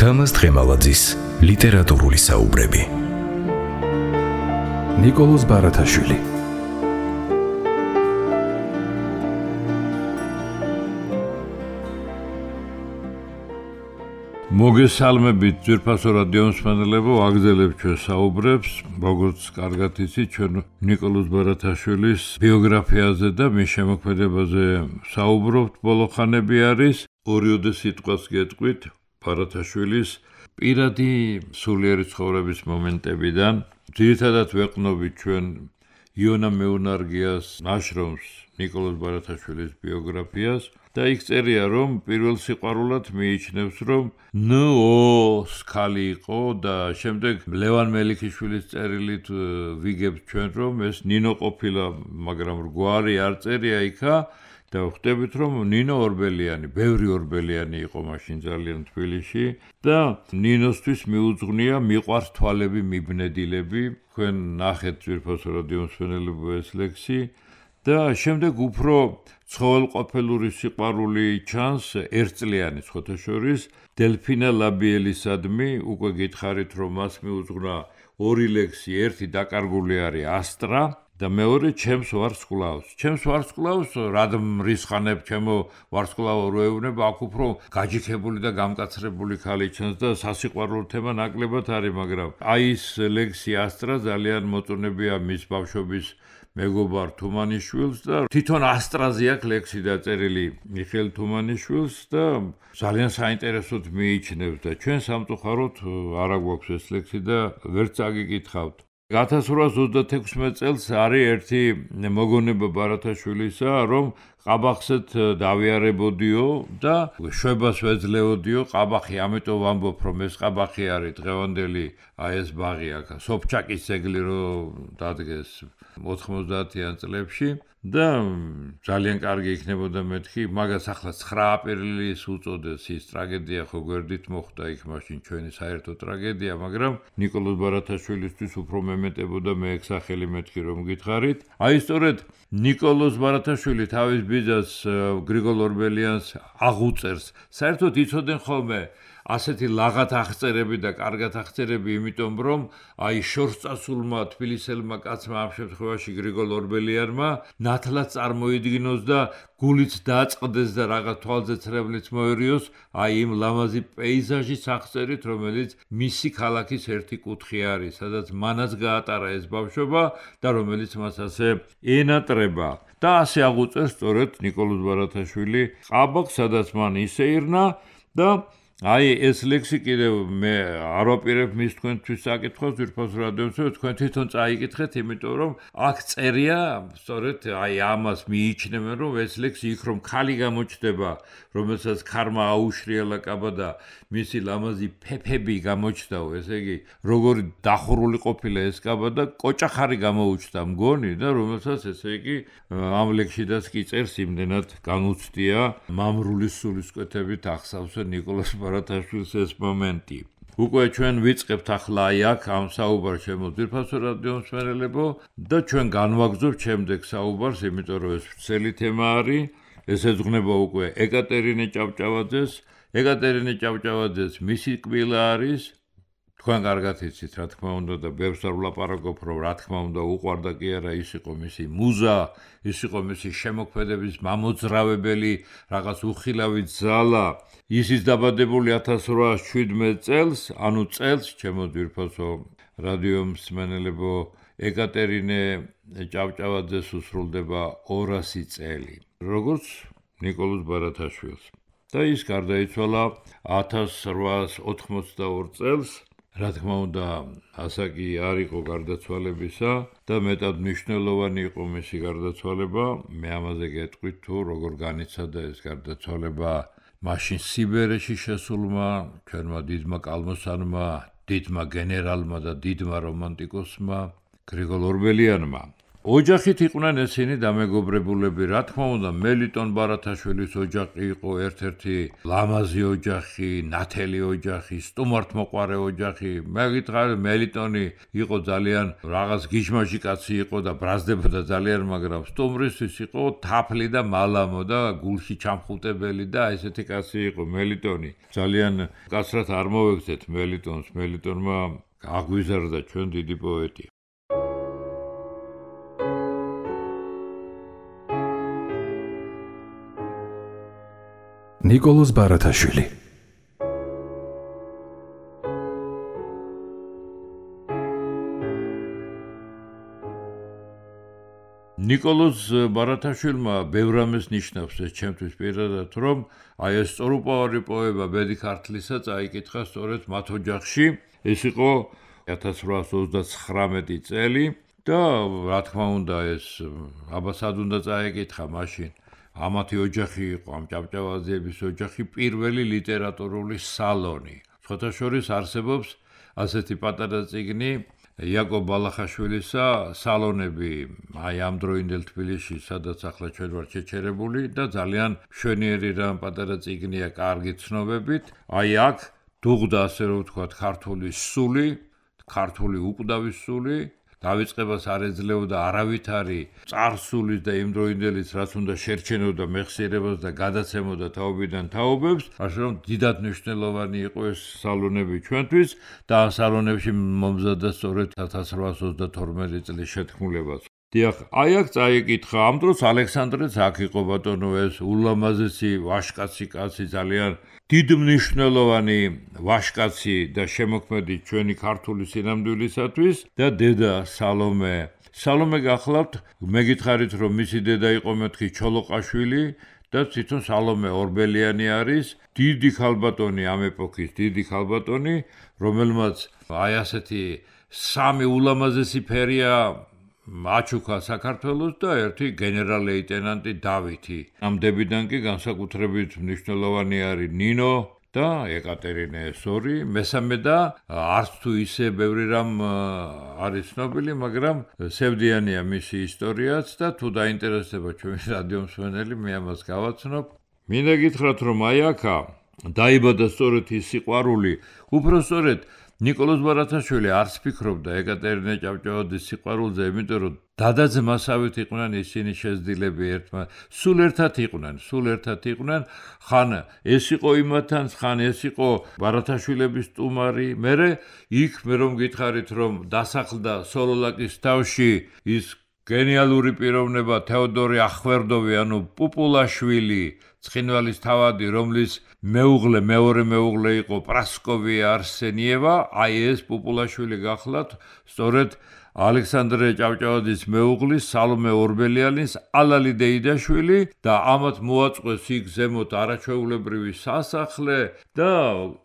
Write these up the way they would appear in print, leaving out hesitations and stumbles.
თამაზ თხემალაძის ლიტერატურული საუბრები. ნიკოლოზ ბარათაშვილი. მოგესალმებით ძვირფასო რადიო მსმენელებო, აგრძელებთ ჩვენ საუბრებს, როგორც კარგად იცით, ჩვენ ნიკოლოზ ბარათაშვილის ბიოგრაფიაზე და მის შემოქმედებაზე საუბრობთ. ბოლო ხანები არის, ორიოდე სიტყვას გეტყვით ბარათაშვილის პირადი სულიერი ცხოვრების მომენტებიდან. ძირითადად ვეყნობით ჩვენ იონა მეუნარგიას ნაშრომს ნიკოლოზ ბარათაშვილის ბიოგრაფიას და იქ წერია, რომ პირველ სიყვარულად მიიჩნევს, რომ ნ.ო.-ს ქალი იყო და შემდეგ ლევან მელიქიშვილის წერილით ვიგებთ ჩვენ, რომ ეს ნინო ყოფილა, მაგრამ გვარი არ წერია იქა და ხვდებით, რომ ნინო ორბელიანი, ბევრი ორბელიანი იყო მაშინ ძალიან თბილისში და ნინოსთვის მიუძღვნია მიყვარს თვალები მიბნედილები. თქვენ ნახეთ ძვირფასო რადიო მსმენელებო ეს ლექსი და შემდეგ უფრო ცხოველყოფილური სიყვარული ჩანს ერთწლიანი ხოთაშორის დელფინა ლაბიელისადმი. უკვე გითხარით, რომ მას მიუძღვნა ორი ლექსი, ერთი დაკარგული არის ასტრა და მეორე ჩემს ვარსკვლავს. ჩემს ვარსკვლავს რად მრისხანებ, ჩემო ვარსკვლავო რო ეუბნება, აქ უფრო გაჯიქებული და გამკაცრებული ქალი ჩანს და სასიყვარულო თემა ნაკლებად არის, მაგრამ აი ეს ლექსი ასტრა ძალიან მოწონებია მის ბავშვობის მეგობარ თუმანიშვილს და თვითონ ასტრაზე აქვს ლექსი დაწერილი მიხეილ თუმანიშვილს და ძალიან საინტერესოდ მიიჩნევს და ჩვენ სამწუხაროდ არ აგვაქვს ეს ლექსი და ვერც აგიკითხავთ. 1826 წელს არის ერთი მოგონება ბარათაშვილისა, რომ ყაბახსეთ დავიარებოდიო და შვებას ვეძლეოდიო ყაბახი, ამიტომ ვამბობ, რომ ეს ყაბახი არის დღევანდელი აი ეს ბაღი აქ, სოფჩაკის ძეგლი რო დადგეს 90-იან წლებში და ძალიან კარგი იქნებოდა მეთქი, მაგას ახლა 9 აპრილის უწოდეს, ის ტრაგედია ხო გვერდით მოხდა იქ მაშინ ჩვენი საერთო ტრაგედია, მაგრამ ნიკოლოზ ბარათაშვილისთვის უფრო მემეტებოდა მე ეგ სახელი მეთქი რომ გითხარით. აი სწორედ ნიკოლოზ ბარათაშვილი თავის ბიძას გრიგოლ ორბელიანს აღუწერს. საერთოდ იცოდნენ ხოლმე ასეთი ლაღად აღწერები და კარგად აღწერები, იმიტომ რომ აი შორსწასულმა თბილისელმა კაცმა ამ შემთხვევაში გრიგოლ ორბელიანმა ნათლად წარმოიდგინოს და გულით დაწყდეს და რაღაც თვალზე ცრემლით მოერიოს აი იმ ლამაზი პეიზაჟის აღწერით, რომელიც მისი ქალაქის ერთი კუთხე არის, სადაც მანაც გაატარა ეს ბავშვობა და რომელიც მას ასე ენატრება. და ასე აღუწერს სწორედ ნიკოლოზ ბარათაშვილი ყაბახს, სადაც მან ისეირნა და აი ეს ლექსი კიდევ მე არ ვაპირებ მის თქვენთვის საკითხავს ძვირფასო რადიო მსმენელო, თქვენ თვითონ წაიკითხეთ, იმიტომ რომ აქ წერია სწორედ აი ამას მიიჩნევენ, რომ ეს ლექსი იქ რომ ქალი გამოჩნდება, რომელსაც ქარმა აუშრიალა კაბა და მისი ლამაზი ფეფები გამოჩნდაო, ესე იგი როგორი დახურული ყოფილა ეს კაბა და კოჭახარი გამოუჩნდა მგონი და რომელსაც ესე იგი ამ ლექსშიდაც კი წერს იმდენად განუცდია მამრული სულისკვეთებით ახსავსე ნიკოლოზ ბარათაშვილის ეს მომენტი. უკვე ჩვენ ვიწყებთ ახლა აი აქ ამ საუბარს ჩემო ძვირფასო რადიო მსმენელებო და ჩვენ განვაგრძობთ შემდეგ საუბარს, იმიტომ რომ ეს ვრცელი თემა არის. ეს ეძღვნება უკვე ეკატერინე ჭავჭავაძეს. ეკატერინე ჭავჭავაძეს მისი კბილა არის. თქვენ კარგად იცით, რა თქმა უნდა და ბევრს არ ვლაპარაკობ, რომ რა თქმა უნდა უყვარდა კი არა, ის იყო მისი მუზა, ის იყო მისი შემოქმედების მამოძრავებელი, რაღაც უხილავი ძალა. ისიც დაბადებული 1817 წელს, ანუ წელს, ჩემო ძვირფასო რადიო მსმენელებო, ეკატერინე ჭავჭავაძეს უსრულდება 200 წელი, როგორც ნიკოლოზ ბარათაშვილს. და ის გარდაიცვალა 1882 წელს. რა თქმა უნდა, ასაკი არ იყო გარდაცვალებისა და მეტად მნიშვნელოვანი იყო მისი გარდაცვალება. მე ამაზე გეტყვით თუ როგორ განიცადა ეს გარდაცვალება მაშინ სიბერეში შესულმა ჩვენმა დიდმა კალმოსანმა, დიდმა გენერალმა და დიდმა რომანტიკოსმა გრიგოლ ორბელიანმა. ოჯახით იყვნენ ესენი დამეგობრებულები, რა თქმა უნდა, მელიტონ ბარათაშვილის ოჯახი იყო ერთ-ერთი ლამაზი ოჯახი, ნათელი ოჯახი, სტუმართმოყვარე ოჯახი. მე გითხარი, მელიტონი იყო ძალიან რაღაც გიჟმაჟი კაცი იყო და ბრაზდებოდა ძალიან, მაგრამ სტუმრისთვის იყო თაფლი და მალამო და გულში ჩამხუტებელი და ესეთი კაცი იყო მელიტონი. ძალიან კაცრად არ მოვექცეთ მელიტონს, მელიტონმა აგვიზარდა ჩვენ დიდი პოეტი. ნიკოლოზ ბარათაშვილი ნიკოლოზ ბარათაშვილმა ბევრ რამეს ნიშნავს ეს ჩემთვის პირადად, რომ აი ეს სწორუპოვარი პოემა ბედი ქართლისა წაიკითხა სწორედ მათ ოჯახში. ეს იყო 1839 წელი და რა თქმა უნდა ეს აბასად უნდა წაიკითხა მაშინ. ამათი ოჯახი იყო, ამ ჭავჭავაძეების ოჯახი, პირველი ლიტერატურული სალონი. სხვათა შორის არსებობს ასეთი პატარა წიგნი იაკობ ბალახაშვილისა სალონები, აი ამ დროინდელ თბილისში, სადაც ახლა ჩვენ ვართ შეჩერებული და ძალიან მშვენიერი რამ პატარა წიგნია, კარგი ცნობებით. აი აქ დუღდა, ასე რომ ვთქვათ, ქართული სული, ქართული უკვდავის სული. დავიწყებას არ ეძლეოდა არავითარი წარსულის და იმდროინდელის, რაც უნდა შერჩენოდა მეხსიერებას და გადაცემოდა თაობიდან თაობებს, ასე რომ დიდად მნიშვნელოვანი იყო ეს სალონები ჩვენთვის და ამ სალონებში მომზადდა სწორედ 1832 წლის შეთქმულებაც. დიახ, აი აქ წაიკითხა, ამ დროს ალექსანდრეც აქ იყო ბატონო ეს ულამაზესი ვაჟკაცი კაცი, ძალიან დიდმნიშვნელოვანი ვაჟკაცი და შემოქმედი ჩვენი ქართული სინამდვილისათვის და დედა სალომე. სალომე გახლავთ, მე გითხარით, რომ მისი დედა იყო მეთქი ჩოლოყაშვილი და თვითონ სალომე ორბელიანი არის, დიდი ქალბატონი ამ ეპოქის, დიდი ქალბატონი, რომელმაც აი ასეთი სამი ულამაზესი ფერია აჩუქა საქართველოს და ერთი გენერალ-ლეიტენანტი დავითი. ამ დებიდან კი განსაკუთრებით მნიშვნელოვანი არის ნინო და ეკატერინე ეს2, მესამე და არც თუ ისე ბევრი რამ არის ცნობილი, მაგრამ სევდიანია მისი ისტორიაც და თუ დაინტერესდება ჩვენი რადიო მსმენელი, მე ამას გავაცნობ. მინდა გითხრათ, რომ აი აქა დაიბადა სწორედ ის სიყვარული, უბრალოდ ნიკოლოზ ბარათაშვილი არც ფიქრობდა ეკატერინე ჭავჭავაძის სიყვარულზე, იმიტომ რომ დადაძმასავით იყვნენ ისინი შეზრდილები ერთმანეთს. სულ ერთად იყვნენ, ხან ეს იყო იმათთან, ხან ეს იყო ბარათაშვილების სტუმარი. მერე იქ მე რომ გითხარით, რომ დასახლდა სოლოლაკის თავში ის გენიალური პიროვნება თეოდორი ახვერდოვი, ანუ პუპულაშვილი, ცხინვალის თავადი, რომლის მეორე მეუღლე იყო პრასკოვია არსენიევა, აი ეს პუპულაშვილი გახლავთ, სწორედ ალექსანდრე ჭავჭავაძის მეუღლის სალომე ორბელიანის ალალი დეიდაშვილი და ამათ მოაწყვეს იქ ზემოთ არაჩვეულებრივი სასახლე და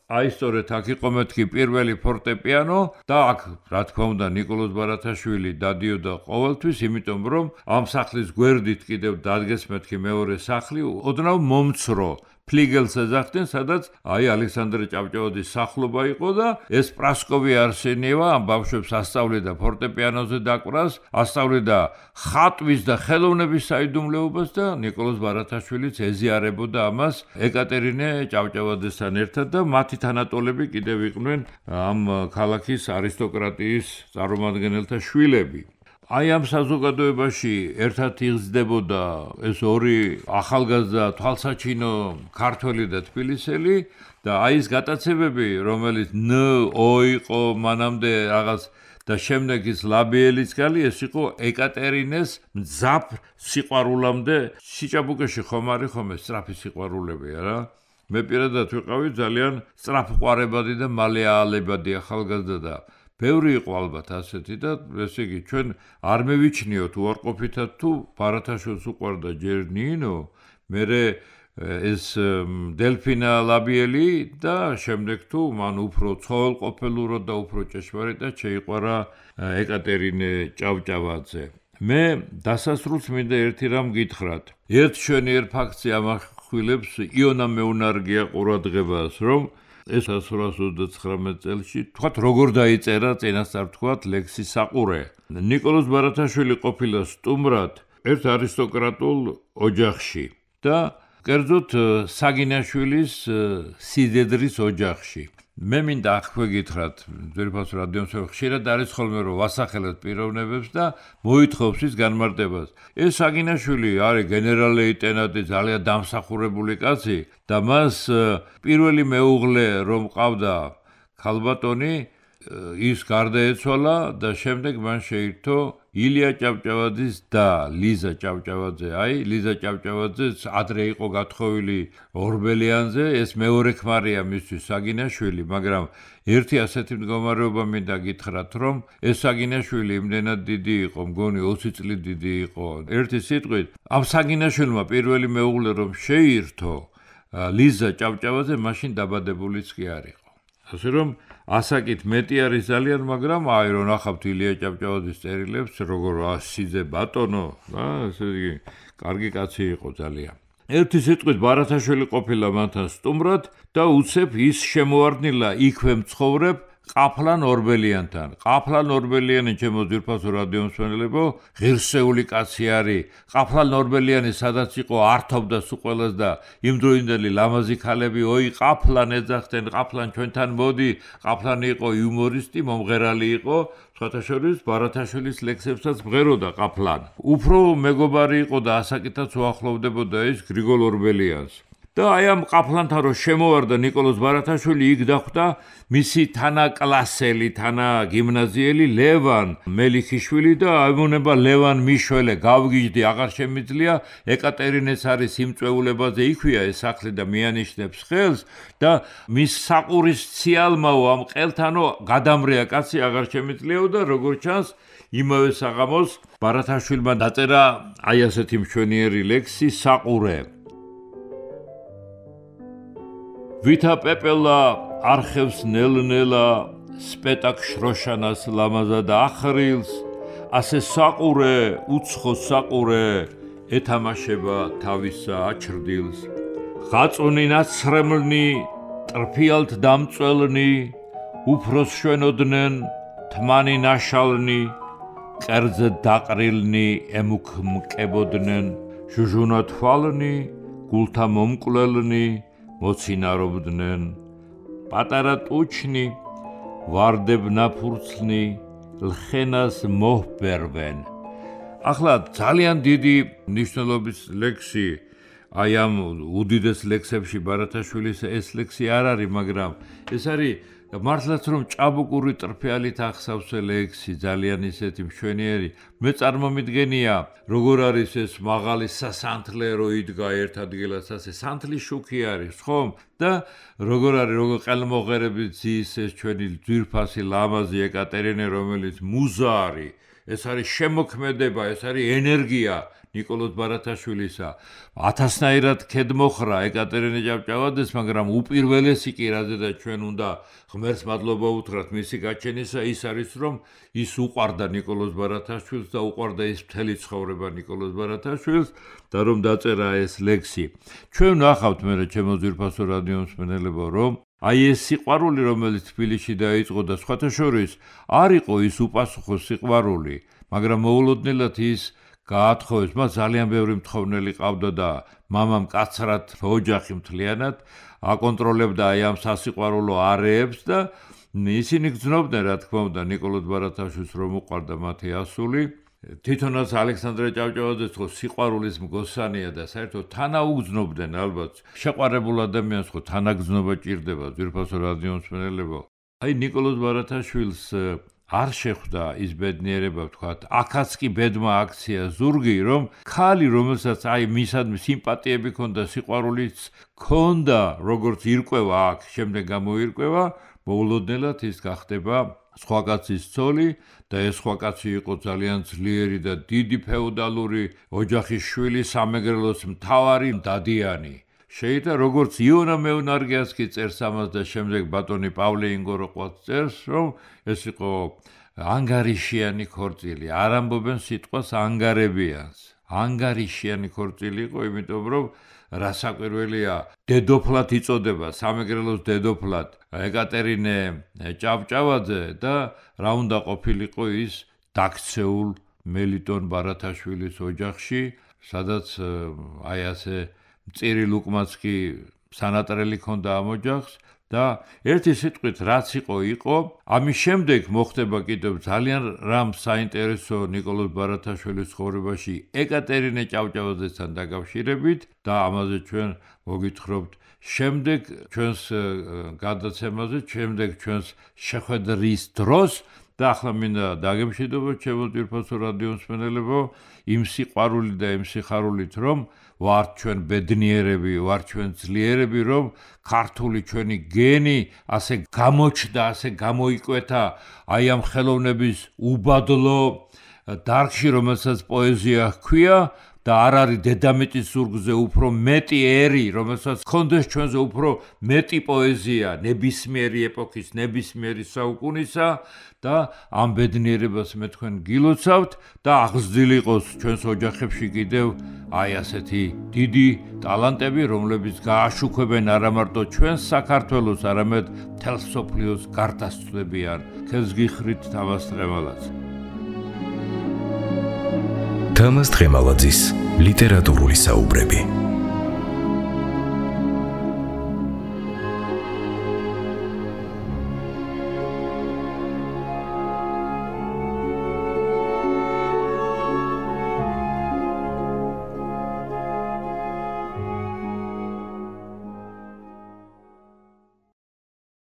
აი სწორედ აქ იყო მეთქი პირველი ფორტეპიანო და აქ რა თქმა უნდა ნიკოლოზ ბარათაშვილი დადიოდა ყოველთვის, იმიტომ რომ ამ სახლის გვერდით კიდევ დადგეს მეთქი მეორე სახლი, ოდნავ მომცრო ფლიგელს ეძახდნენ, სადაც აი ალექსანდრე ჭავჭავაძის სახლობა იყო და ეს პრასკოვი არსენიევა ამ ბავშვებს ასწავლიდა ფორტეპიანოზე დაკვრას, ასწავლიდა ხატვის და ხელოვნების საიდუმლოებას და ნიკოლოზ ბარათაშვილიც ეზიარებოდა ამას ეკატერინე ჭავჭავაძესთან ერთად და მათი თანატოლები კიდევ იყვნენ ამ ქალაქის არისტოკრატიის წარმომადგენელთა შვილები. აი ამ საზოგადოებაში ერთად იღწდებოდა ეს ორი ახალგაზრდა თვალსაჩინო ქართველი და თბილისელი და აი ეს გატაცებები, რომელიც ო იყო მანამდე რაღაც და შემდეგ ის ლაბიელიც გალი, ეს იყო ეკატერინეს მძაფრ სიყვარულამდე. სიჭაბუკეში ხომ არის ხომ ეს სწრაფი სიყვარულები არა? მე პირადად ვიყავი ძალიან სწრაფყვარებადი და მალე აალებადი ახალგაზრდა და ბევრი იყო ალბათ ასეთი და ესე იგი ჩვენ არ მევიჩნიოთ უარყოფითად თუ ბარათაშვილს უყვარდა ჯერ ნინო, მერე ეს დელფინა ლაბიელი და შემდეგ თუ მან უფრო ცხოველყოფილურად და უფრო ჭეშმარიტად შეიყვარა ეკატერინე ჭავჭავაძე. მე დასასრულს მინდა ერთი რამ გითხრათ. ერთ შვენიერ ფაქტზე ამახვილებს იონა მეუნარგია ყურადღებას, რომ ეს 1839 წელში, თქვათ, როგორ დაიწერა წინასწარ თქვათ ლექსი საყურე. ნიკოლოზ ბარათაშვილი ყოფილა სტუმრად ერთ არისტოკრატულ ოჯახში და კერძოდ საგინაშვილის სიდედრის ოჯახში. მე მინდა აქვე გითხრათ, ძვირფას რადიომსა ხშირად არის ხოლმე რომ ვასახელოთ პიროვნებებს და მოითხოვს ის განმარტებას. ეს საგინაშვილი არის გენერალ-ლეიტენანტი, ძალიან დამსახურებული კაცი და მას პირველი მეუღლე რომ ყავდა ქალბატონი, ის გარდაეცვალა და შემდეგ მან შეირთო ილია ჭავჭავაძის და ლიზა ჭავჭავაძე. აი, ლიზა ჭავჭავაძე ადრე იყო გათხოვილი ორბელიანზე, ეს მეორე ქმარია მისთვის საგინაშვილი, მაგრამ ერთი ასეთი მდგომარეობა მინდა გითხრათ, რომ ეს საგინაშვილი იმდენად დიდი იყო, მგონი 20 წლით დიდი იყო. ერთი სიტყვით, ამ საგინაშვილმა პირველი მეუღლე რომ შეირთო ლიზა ჭავჭავაძე, მაშინ დაბადებულიც კი არ იყო. ასე რომ ასაკით მეტი არის ძალიან, მაგრამ აი რომ ნახავთ ილია ჭავჭავაძის წერილებს, როგორ სიძე ბატონო, ესე იგი, კარგი კაცი იყო ძალიან. ერთი სიტყვით ბარათაშვილი ყოფილა მანთან სტუმრად და უცებ ის შემოარდნილა იქვე მცხოვრებ ყაფლან ორბელიანთან. ყაფლან ორბელიანი ჩემო ძვირფასო რადიომსმენელებო, ღირსეული კაცი არის. ყაფლან ორბელიანი სადაც იყო ართობდა სულ ყველას და იმდროინდელი ლამაზი ქალები, ოი ყაფლან ეძახდნენ, ყაფლან ჩვენთან მოდი. ყაფლანი იყო იუმორისტი, მომღერალი იყო. სხვათა შორის ბარათაშვილის ლექსებსაც მღეროდა ყაფლან. უფრო მეგობარი იყო და ასაკითაც უახლოვდებოდა ის გრიგოლ ორბელიანს. და აი ამ ყაფლანთან რომ შემოვარდა ნიკოლოზ ბარათაშვილი, იქ დახვდა მისი თანაკლასელი, თანაგიმნაზიელი ლევან მელიქიშვილი და აიმონება ლევან მიშველე, გავგიჟდი, აღარ შემიძლია, ეკატერინეს არის იმწვეულებაზე იქვია ეს სახლი და მიანიშნებს ხელს და მის საყურის ციალმაო ამ ყელთანო გადამრეა კაცი, აღარ შემიძლიაო და როგორც ჩანს იმავე საღამოს ბარათაშვილმა დაწერა აი ასეთი მშვენიერი ლექსი საყურე. ვითა პეპელა არხევს ნელ-ნელა სპეტაკ შროშანას ლამაზად ახრილს, ასე საყურე, უცხო საყურე ეთამაშება თავისა აჩრდილს. ღაწუნი ნაცრემლნი, ტრფიალთ დამწველნი, უფროს შვენოდნენ, თმანი ნაშალნი, კერძე დაყრილნი ემუქმკებოდნენ, ჟუჟუნა თვალნი, გულთა მომკვლელნი, მოცინარობდნენ. პატარა ტუჩნი, ვარდებ ნაფურცლნი, ლხენას მოჰბერვენ. ახლა ძალიან დიდი მნიშვნელობის ლექსი, აი ამ უდიდეს ლექსებში ბარათაშვილის ეს ლექსი არ არის, მაგრამ ეს არის მართლაც რომ ჭაბუკური ტრფიალით ახსავსე ლექსი, ძალიან ისეთი მშვენიერი. მე წარმომიდგენია, როგორ არის ეს მაღალი სასანთლე რო იდგა ერთ ადგილას, ასე სანთლის შუქი არის, ხომ? და როგორ არის, როგორ ყელმოღერებით ზის ეს ჩვენი ძვირფასი ლამაზი ეკატერინე, რომელიც მუზა არის, ეს არის შემოქმედება, ეს არის ენერგია ნიკოლოზ ბარათაშვილისა. 1000-ნაირად ქედმოხრა ეკატერინე ჭავჭავაძეს, მაგრამ უპირველესი კი რაზედაც ჩვენ უნდა ღმერთს მადლობა უთხრათ მისი გაჩენისა, ის არის რომ ის უყვარდა ნიკოლოზ ბარათაშვილს და უყვარდა ის მთელი ცხოვრება ნიკოლოზ ბარათაშვილს და რომ დაწერა ეს ლექსი. ჩვენ ნახავთ მე ჩემო ძვირფასო რადიომსმენელებო, რომ აი ეს სიყვარული, რომელიც თბილისში დაიწყო და სხვათა შორის არ იყო ის უპასუხო სიყვარული, მაგრამ მოულოდნელად ის გაათხოვეს. მას ძალიან ბევრი მთხოვნელი ყავდა და მამამ კაცრად ოჯახი მთლიანად აკონტროლებდა აი ამ სასიყვარულო არეებს და ისინი გრძნობდნენ, რა თქმა უნდა, ნიკოლოზ ბარათაშვილს რომ უყვარდა მათი ასული. თვითონაც ალექსანდრე ჭავჭავაძეც ხო სიყვარულის მგოსანია და საერთოდ თანაუგრძნობდნენ ალბათ. შეყვარებულ ადამიანს ხო თანაგრძნობა ჭირდება, ძვირფასო რადიომსმენელებო. აი ნიკოლოზ ბარათაშვილს არ შეხვდა ის ბედნიერება, ვთქვათ, აქაც კი ბედმა აქცია ზურგი, რომ ქალი, რომელსაც აი მისადმი სიმპათიები ქონდა, სიყვარულიც ქონდა, როგორც ირკვევა აქ, შემდეგ გამოირკვევა, მოულოდნელად ის გახდება სხვა კაცის ცოლი და ეს სხვა კაცი იყო ძალიან ძლიერი და დიდი ფეოდალური ოჯახის შვილი, სამეგრელოს მთავარი დადიანი. შეიძლება როგორც იონა მეუნარგიას კი წერს ამას და შემდეგ ბატონი პავლე ინგოროყვაც წერს, რომ ეს იყო ანგარიშიანი ქორწილი. არ ამბობენ სიტყვას ანგარებიანს. ანგარიშიანი ქორწილი იყო, იმიტომ რომ რასაკვირველია, დედოფლად იწოდება, სამეგრელოს დედოფლად ეკატერინე ჭავჭავაძე და რა უნდა ყოფილიყო ის დაქცეულ მელიტონ ბარათაშვილის ოჯახში, სადაც აი ასე მწირი ლუკმაცკი სანატრელი ქონდა ამ ოჯახს და ერთი სიტყვით რაც იყო, ამის შემდეგ მოხდება კიდევ ძალიან რამ საინტერესო ნიკოლოზ ბარათაშვილის ცხოვრებაში ეკატერინე ჭავჭავაძესთან დაკავშირებით და ამაზე ჩვენ მოგითხრობთ შემდეგ ჩვენს გადაცემაზე, შემდეგ ჩვენს შეხვედრის დროს და ახლა მინდა დაგემშვიდობოთ ჩემო ძვირფასო რადიო მსმენელებო იმ სიყვარული და იმ სიხარულით რომ ვართ ჩვენ ბედნიერები, ვართ ჩვენ ძლიერები, რომ ქართული ჩვენი გენი ასე გამოჩნდა, ასე გამოიკვეთა აი ამ ხელოვნების უბადლო დარგში, რომელსაც პოეზია ჰქვია და არ არის დედამიწის ზურგზე უფრო მეტი ერი, რომელსაც ჰქონდეს ჩვენზე უფრო მეტი პოეზია ნებისმიერი ეპოქის, ნებისმიერი საუკუნისა და ამ ბედნიერებას მე თქვენ გილოცავთ და აღზრდილი იყოს ჩვენს ოჯახებში კიდევ აი ასეთი დიდი ტალანტები, რომლებიც გააშუქებენ არა მარტო ჩვენს საქართველოს, არამედ მთელ მსოფლიოს გარდასწვდებიან. ხელს გიხრით თამაზ ტრემალაძე. თამაზ ტრემალაძის ლიტერატურული საუბრები.